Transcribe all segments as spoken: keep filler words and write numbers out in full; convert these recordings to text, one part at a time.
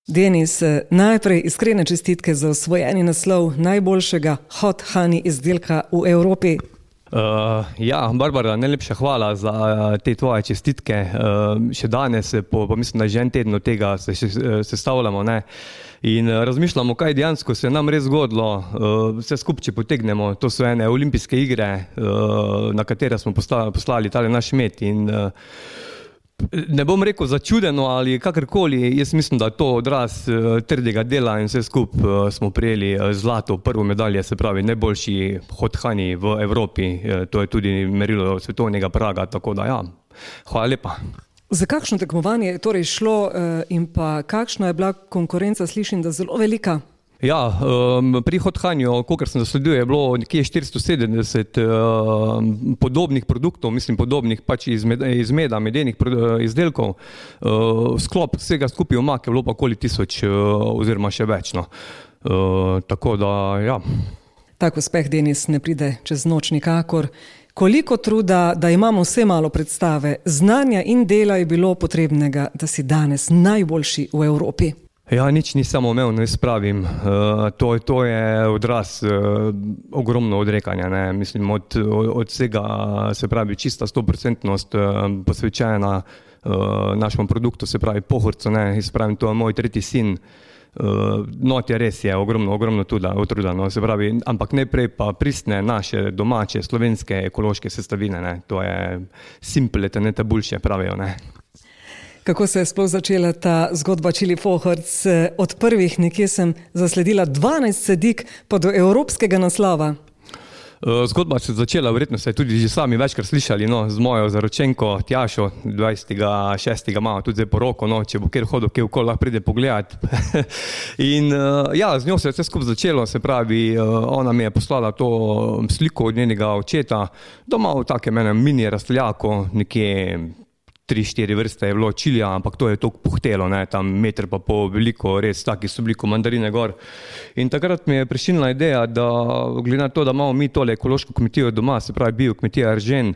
Denis, najprej iskrene čestitke za osvojeni naslov najboljšega hot honey izdelka v Evropi. Uh, ja, Barbara, najlepša hvala za uh, te tvoje čestitke. Uh, še danes, po, po mislim, da že en teden od tega se sestavljamo, ne? In uh, razmišljamo, kaj dejansko se nam res zgodilo. Uh, vse skupaj, če potegnemo, to so ene olimpijske igre, uh, na katere smo poslali, poslali tale naš med. In, uh, ne bom rekel začudeno ali kakorkoli, jaz mislim, da to odraz uh, trdega dela in vse skupaj uh, smo prijeli uh, zlato prvo medalje, se pravi najboljši hot honey v Evropi. Uh, to je tudi merilo svetovnega praga, tako da ja, hvala lepa. Za kakšno tekmovanje je torej šlo uh, in pa kakšna je bila konkurenca, slišim, da zelo velika? Ja, um, pri hot honeyju, kolikor sem zasledil, je bilo nekje štiristo sedemdeset um, podobnih produktov, mislim podobnih pač iz, med, iz meda, medenih izdelkov. Uh, sklop vsega skupaj omak je bilo pa okoli tisoč uh, oziroma še več. No. Uh, tako da, ja. Tak uspeh, Denis, ne pride čez noč nikakor. Koliko truda, da imamo vse malo predstave, znanja in dela je bilo potrebnega, da si danes najboljši v Evropi? Ja, nič ni samo umevno, jaz pravim. Uh, to, to je odraz uh, ogromno odrekanja. Ne? Mislim, od, od vsega, se pravi, čista stoprocentnost uh, posvečena uh, našemu produktu, se pravi Pohorcu, ne? Jaz pravim, to je moj tretji sin. Uh, not je res je, ogromno, ogromno truda, no? Se pravi, ampak najprej pa pristne naše domače, slovenske, ekološke sestavine. Ne? To je simple, te ne te boljše, pravijo. Ne? Kako se je sploh začela ta zgodba Čili Pohorc? Od prvih nekje sem zasledila dvanajst sadik pa do evropskega naslova. Zgodba se je začela, verjetno ste tudi že sami večkrat slišali, no, z mojo zaročenko Tjašo, dvajsetega šestega imamo tudi zdaj poroko, no, če bo kjer hodil, kjer okoli lahko pride pogledat. In ja, z njo se je vse skupaj začelo, se pravi, ona mi je poslala to sliko od njenega očeta, doma v takem enem mini rasteljako, nekje tri, štiri vrste je bilo čilija, ampak to je toliko puhtelo, ne, tam meter pa pol veliko, res taki so bili mandarine gor. In takrat mi je prišla ideja, da glede na to, da imamo mi tole ekološko kmetijo doma, se pravi bio kmetija Eržen,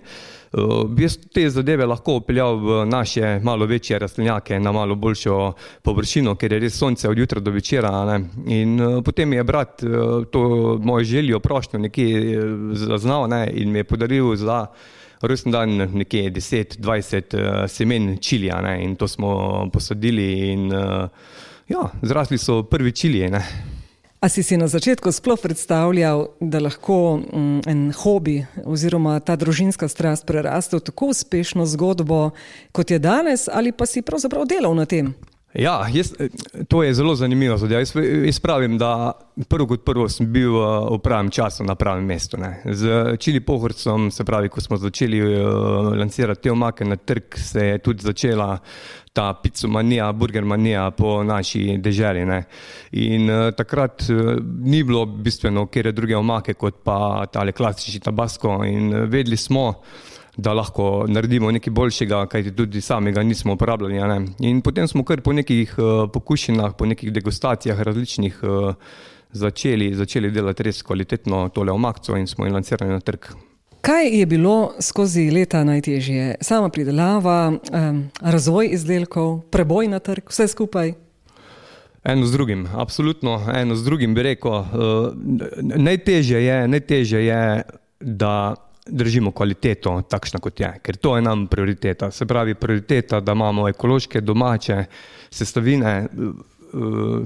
uh, bi jaz te zadeve lahko upeljal v naše malo večje rastlinjake na malo boljšo površino, ker je res sonce od jutra do večera. Ne. In uh, potem mi je brat uh, to mojo željo, prošnjo nekje zaznal, ne, in mi je podaril za rojstni dan nekje deset dvajset uh, semen čilija, ne, in to smo posadili in uh, ja, zrasli so prvi čilije, ne. A si si na začetku sploh predstavljal, da lahko um, en hobi oziroma ta družinska strast preraste v tako uspešno zgodbo, kot je danes, ali pa si pravzaprav delal na tem? Ja, jaz, to je zelo zanimivo. Jaz, jaz pravim, da prvo kot prvo sem bil v pravem času na pravem mestu. Ne. Z Čili Pohorcem, se pravi, ko smo začeli uh, lansirati te omake na trg, se je tudi začela ta picomanija, burgermanija po naši deželi. Ne. In uh, takrat uh, ni bilo bistveno kjer druge omake kot pa tale klasični tabasco in uh, vedeli smo, da lahko naredimo nekaj boljšega, kajti tudi samega nismo uporabljali. Ne? In potem smo kar po nekih uh, pokušinah, po nekih degustacijah različnih uh, začeli, začeli delati res kvalitetno tole omakco in smo jo lansirali na trg. Kaj je bilo skozi leta najtežje? Sama pridelava, um, razvoj izdelkov, preboj na trg, vse skupaj? Eno z drugim, absolutno, eno z drugim bi rekel. Uh, najtežje je, najtežje je, da držimo kvaliteto takšna kot je, ker to je nam prioriteta. Se pravi prioriteta, da imamo ekološke, domače sestavine.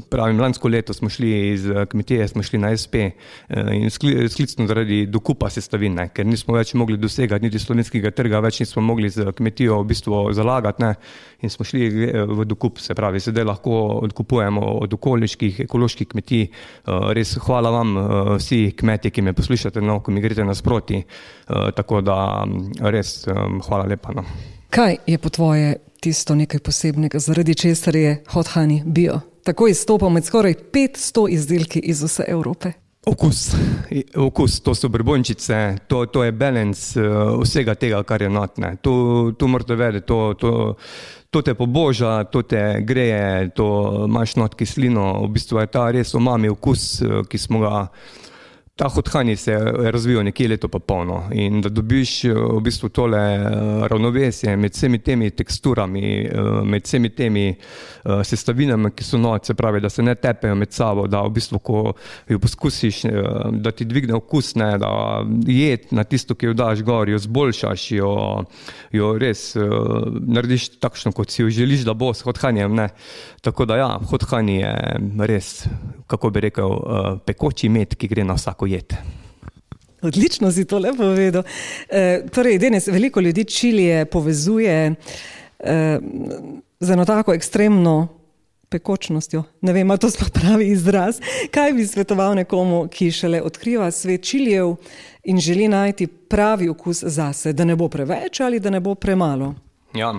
Pravim, lansko leto smo šli iz kmetije, smo šli na es pe in sklicno zaradi dokupa sestavine, ker nismo več mogli dosegati niti slovenskega trga, več nismo mogli z kmetijo v bistvu zalagati, ne, in smo šli v dokup, se pravi, sedaj lahko odkupujemo od okoliških, ekoloških kmetij. Res hvala vam vsi kmetje, ki me poslušate, no, ko mi greste nasproti, tako da res hvala lepa. No. Kaj je po tvoje tisto nekaj posebnega, zaradi česar je hot honey bio? Tako izstopa med skoraj petsto izdelki iz vse Evrope. Okus, okus, to so brbončice, to, to je balance uh, vsega tega, kar je notne. To, to morate vedeti, to, to, to te poboža, to te greje, to imaš not kislino, v bistvu je ta res umami okus, ki smo ga ta hot honey se je razvijal nekje leto pa polno in da dobiš v bistvu tole ravnovesje med vsemi temi teksturami, med vsemi temi sestavinami, ki so not, se pravi, da se ne tepejo med sabo, da v bistvu, ko jo poskusiš, da ti dvigne okus, ne, da jed na tisto, ki jo daš gor, jo zboljšaš, jo, jo res narediš takšno, kot si jo želiš, da bo s hot honeyjem, ne. Tako da ja, hot honey je res, kako bi rekel, pekoči med, ki gre na vsako jed. Odlično si to lepo povedal. E, torej, Denis, veliko ljudi čilije povezuje e, z eno tako ekstremno pekočnostjo. Ne vem, ali to sploh pravi izraz. Kaj bi svetoval nekomu, ki šele odkriva svet čilijev in želi najti pravi okus zase, da ne bo preveč ali da ne bo premalo? Ja,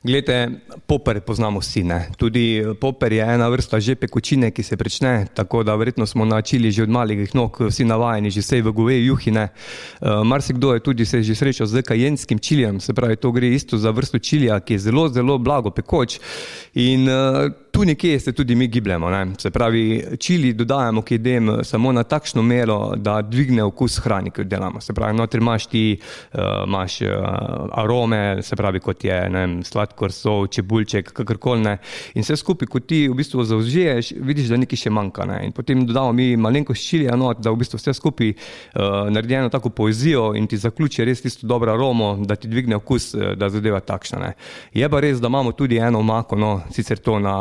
glejte, poper poznamo vsi, ne. Tudi poper je ena vrsta že pekočine, ki se prične, tako da verjetno smo na čili že od malih nog vsi navajeni, že sej v goveji juhi, ne. Uh, marsikdo je tudi se že srečal z kajenskim čilijem, se pravi, to gre isto za vrsto čilija, ki je zelo, zelo blago pekoč in uh, tu nekje se tudi mi gibljamo, ne. Se pravi, čili dodajamo k jedem samo na takšno mero, da dvigne okus hrani, ki jo delamo. Se pravi, notri imaš ti, uh, imaš uh, arome, se pravi, kot je ne vem, sladkor, sol, čebulček, kakorkoli, ne. In vse skupaj, ko ti v bistvu zaužiješ, vidiš, da nekaj še manjka, ne. In potem dodamo mi malenkost čilija not, da v bistvu vse skupaj uh, naredi eno tako poezijo in ti zaključi res tisto dobro aromo, da ti dvigne okus, da zadeva takšna, ne. Je pa res, da imamo tudi eno omako, no, sicer to na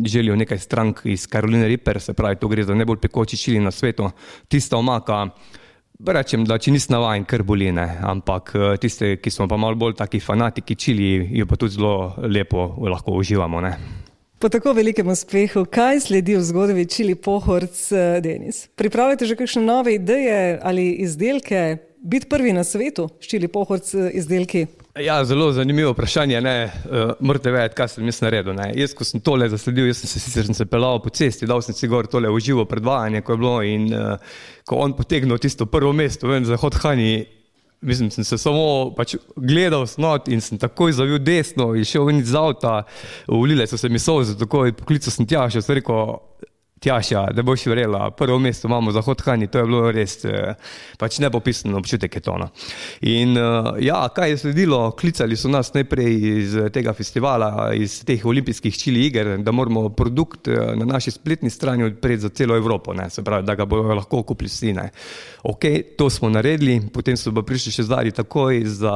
želijo nekaj strank iz Caroline Reaper, se pravi, to gre za najbolj pekoči čili na svetu. Tista omaka, rečem, da če nisi navajen, kar boli, ne, ampak tiste, ki smo pa malo bolj taki fanatiki čili, jo pa tudi zelo lepo lahko uživamo, ne. Po tako velikem uspehu, kaj sledi v zgodbi Čili Pohorc, Denis? Pripravljate že kakšne nove ideje ali izdelke? Biti prvi na svetu s Čili Pohorc izdelki? Ja, zelo zanimivo vprašanje, ne, uh, morate vedeti, kaj sem jaz naredil, ne. Jaz, ko sem tole zasledil, jaz sem se sicer sem se pelal po cesti, dal sem si gor tole v živo predvajanje, ko je bilo in uh, ko on potegnil tisto prvo mesto, vem, za hot honey, mislim, sem se samo pač gledal snot in sem takoj zavil desno in šel ven iz avta, ulile so se mi solze, takoj poklical sem Tjašo, sem rekel, Tjaša, da boš verjela, prvo mesto imamo za hot honey, to je bilo res pač nepopisan občutek je to, no. In ja, kaj je sledilo? Klicali so nas najprej iz tega festivala, iz teh olimpijskih čili iger, da moramo produkt na naši spletni strani odpreti za celo Evropo, ne, se pravi, da ga bodo lahko kupili vsi, ne. Ok, to smo naredili, potem so pa prišli še zadnji takoj za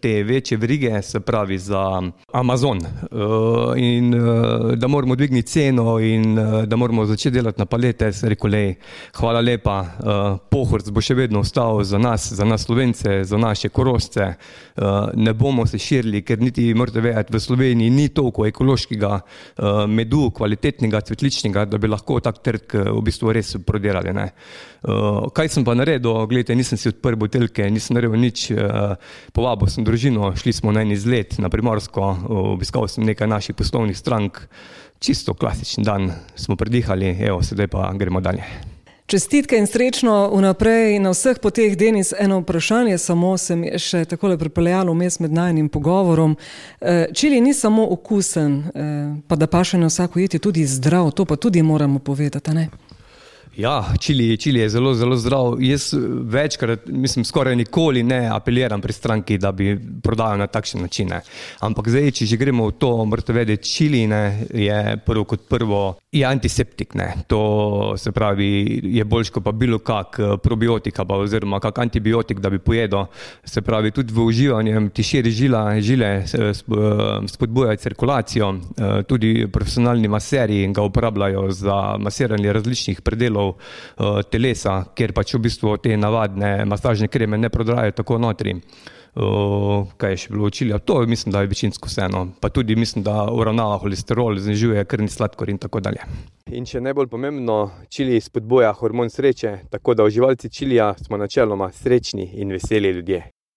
te večje verige, se pravi za Amazon in da moramo dvigniti ceno in da moramo moramo začeti delati na palete, se rekel, lej, hvala lepa, uh, Pohorc bo še vedno ostal za nas, za nas Slovence, za naše Korošce, uh, ne bomo se širili, ker niti morate vedeti, v Sloveniji ni toliko ekološkega uh, medu, kvalitetnega, cvetličnega, da bi lahko tak trg v bistvu res prodirali, ne. Uh, kaj sem pa naredil? Glejte, nisem si odprl buteljke, nisem naredil nič, uh, povabil sem družino, šli smo na en izlet na Primorsko, uh, obiskal sem nekaj naših poslovnih strank, čisto klasičen dan smo predihali, evo, sedaj pa gremo dalje. Čestitke in srečno vnaprej na vseh poteh, Denis. Eno vprašanje samo se mi je še takole pripeljalo vmes med najinim pogovorom. Čili ni samo okusen, pa da paše na vsako jed, je tudi zdrav, to pa tudi moramo povedati, ne? Ja, čili, čili je zelo, zelo zdrav. Jaz večkrat, mislim, skoraj nikoli ne apeliram pri stranki, da bi prodajal na takšen način, ne. Ampak zdaj, če že gremo v to, morate vedeti, čili, ne, je prvo kot prvo, je antiseptik, ne. To se pravi, je boljš kot pa bilo kak probiotika, pa oziroma kak antibiotik, da bi pojedel. Se pravi, tudi v uživanjem ti širi žila, žile, spodbujajo cirkulacijo, tudi profesionalni maserji ga uporabljajo za masiranje različnih predelov telesa, kjer pač v bistvu te navadne masažne kreme ne prodrajo tako notri. Uh, kaj je še bilo čilija? To mislim, da je večinsko vseeno. Pa tudi mislim, da uravnava holesterol, znižuje krvni sladkor in tako dalje. In še najbolj pomembno, čili spodbuja hormon sreče, tako da uživalci čilija smo načeloma srečni in veseli ljudje.